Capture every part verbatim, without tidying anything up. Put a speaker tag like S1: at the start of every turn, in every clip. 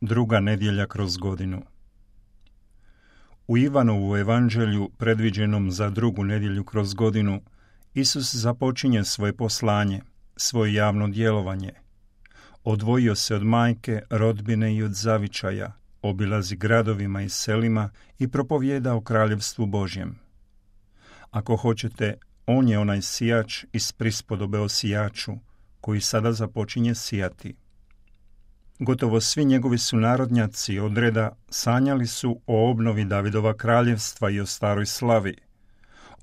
S1: Druga nedjelja kroz godinu. U Ivanovu evanđelju, predviđenom za drugu nedjelju kroz godinu, Isus započinje svoje poslanje, svoje javno djelovanje. Odvojio se od majke, rodbine i od zavičaja, obilazi gradovima i selima i propovijeda o kraljevstvu Božjem. Ako hoćete, on je onaj sijač iz prispodobe o sijaču, koji sada započinje sijati. Gotovo svi njegovi sunarodnjaci od reda sanjali su o obnovi Davidova kraljevstva i o staroj slavi.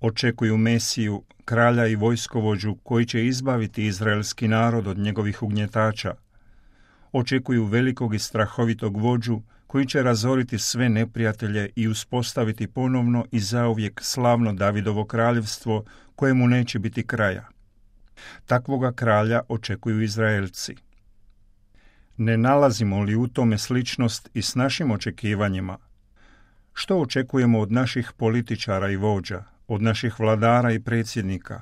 S1: Očekuju Mesiju, kralja i vojskovođu koji će izbaviti izraelski narod od njegovih ugnjetača. Očekuju velikog i strahovitog vođu koji će razoriti sve neprijatelje i uspostaviti ponovno i zauvijek slavno Davidovo kraljevstvo kojemu neće biti kraja. Takvoga kralja očekuju Izraelci. Ne nalazimo li u tome sličnost i s našim očekivanjima? Što očekujemo od naših političara i vođa, od naših vladara i predsjednika?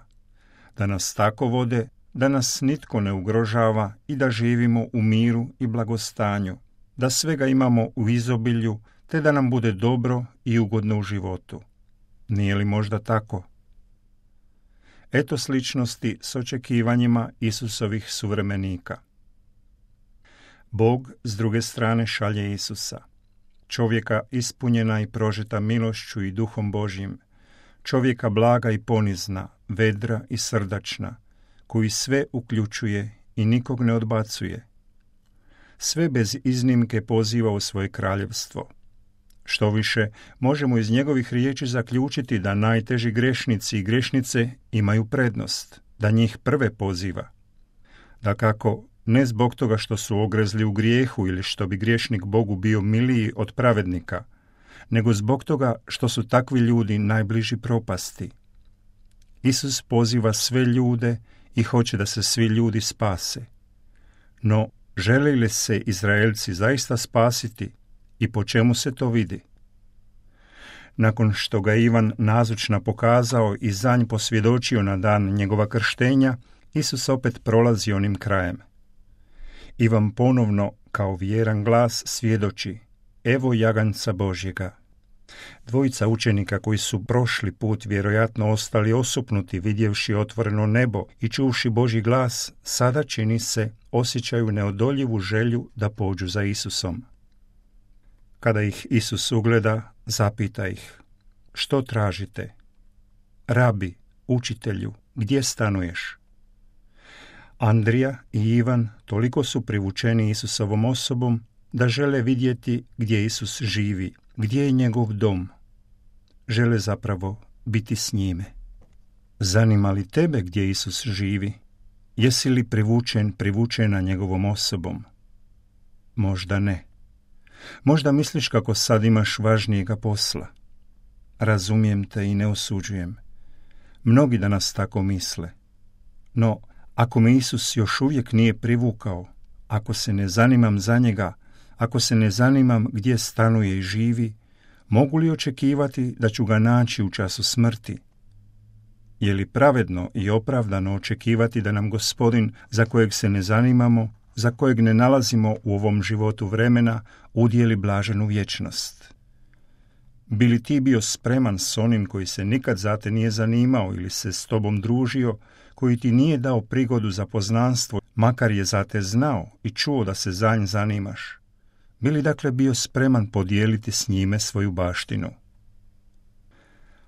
S1: Da nas tako vode, da nas nitko ne ugrožava i da živimo u miru i blagostanju, da svega imamo u izobilju, te da nam bude dobro i ugodno u životu. Nije li možda tako? Eto sličnosti s očekivanjima Isusovih suvremenika. Bog s druge strane šalje Isusa, čovjeka ispunjena i prožeta milošću i duhom Božjim, čovjeka blaga i ponizna, vedra i srdačna, koji sve uključuje i nikog ne odbacuje. Sve bez iznimke poziva u svoje kraljevstvo. Što više, možemo iz njegovih riječi zaključiti da najteži grešnici i grešnice imaju prednost, da njih prve poziva. Dakako, ne zbog toga što su ogrezli u grijehu ili što bi griješnik Bogu bio miliji od pravednika, nego zbog toga što su takvi ljudi najbliži propasti. Isus poziva sve ljude i hoće da se svi ljudi spase. No, žele li se Izraelci zaista spasiti i po čemu se to vidi? Nakon što ga Ivan nazočna pokazao i za nj posvjedočio na dan njegova krštenja, Isus opet prolazi onim krajem. Ivan ponovno, kao vjeran glas, svjedoči: evo jaganjca Božjega. Dvojica učenika koji su prošli put vjerojatno ostali osupnuti vidjevši otvoreno nebo i čuvši Božji glas, sada čini se osjećaju neodoljivu želju da pođu za Isusom. Kada ih Isus ugleda, zapita ih: što tražite? Rabi, učitelju, gdje stanuješ? Andrija i Ivan toliko su privučeni Isusovom osobom da žele vidjeti gdje Isus živi, gdje je njegov dom. Žele zapravo biti s njime. Zanima li tebe gdje Isus živi? Jesi li privučen, privučena njegovom osobom? Možda ne. Možda misliš kako sad imaš važnijega posla. Razumijem te i ne osuđujem. Mnogi danas tako misle. No, ako me Isus još uvijek nije privukao, ako se ne zanimam za njega, ako se ne zanimam gdje stanuje i živi, mogu li očekivati da ću ga naći u času smrti? Je li pravedno i opravdano očekivati da nam Gospodin, za kojeg se ne zanimamo, za kojeg ne nalazimo u ovom životu vremena, udijeli blaženu vječnost? Bi li ti bio spreman s onim koji se nikad za te nije zanimao ili se s tobom družio, koji ti nije dao prigodu za poznanstvo, makar je za te znao i čuo da se za nj zanimaš? Bi li dakle bio spreman podijeliti s njime svoju baštinu?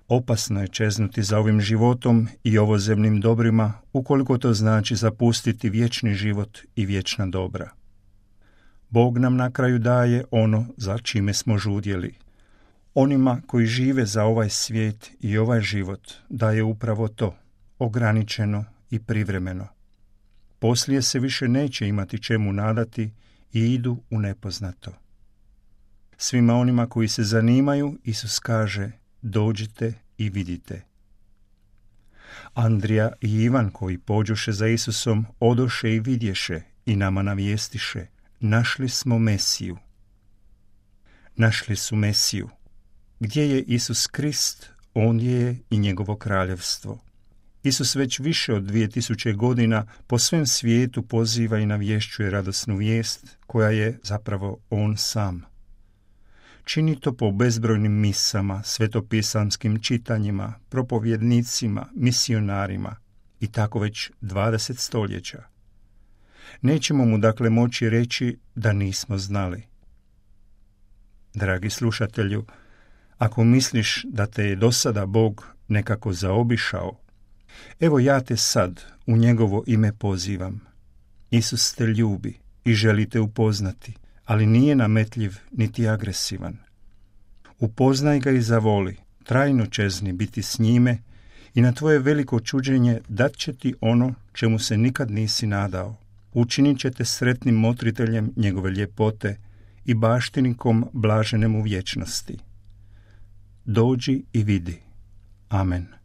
S1: Opasno je čeznuti za ovim životom i ovozemnim dobrima, ukoliko to znači zapustiti vječni život i vječna dobra. Bog nam na kraju daje ono za čime smo žudjeli. Onima koji žive za ovaj svijet i ovaj život daje upravo to, ograničeno i privremeno. Poslije se više neće imati čemu nadati i idu u nepoznato. Svima onima koji se zanimaju, Isus kaže: dođite i vidite. Andrija i Ivan, koji pođoše za Isusom, odoše i vidješe i nama navijestiše: našli smo Mesiju. Našli su Mesiju. Gdje je Isus Krist, ondje je i njegovo kraljevstvo. Isus već više od dvije tisuće godina po svem svijetu poziva i navješćuje radosnu vijest koja je zapravo On sam. Čini to po bezbrojnim misama, svetopisanskim čitanjima, propovjednicima, misionarima i tako već dvadeset stoljeća. Nećemo mu dakle moći reći da nismo znali. Dragi slušatelju, ako misliš da te je do sada Bog nekako zaobišao, evo ja te sad u njegovo ime pozivam. Isus te ljubi i želi te upoznati, ali nije nametljiv niti agresivan. Upoznaj ga i zavoli, trajno čezni biti s njime i na tvoje veliko čuđenje dat će ti ono čemu se nikad nisi nadao. Učinit će te sretnim motriteljem njegove ljepote i baštinikom blaženem u vječnosti. Dođi i vidi. Amen.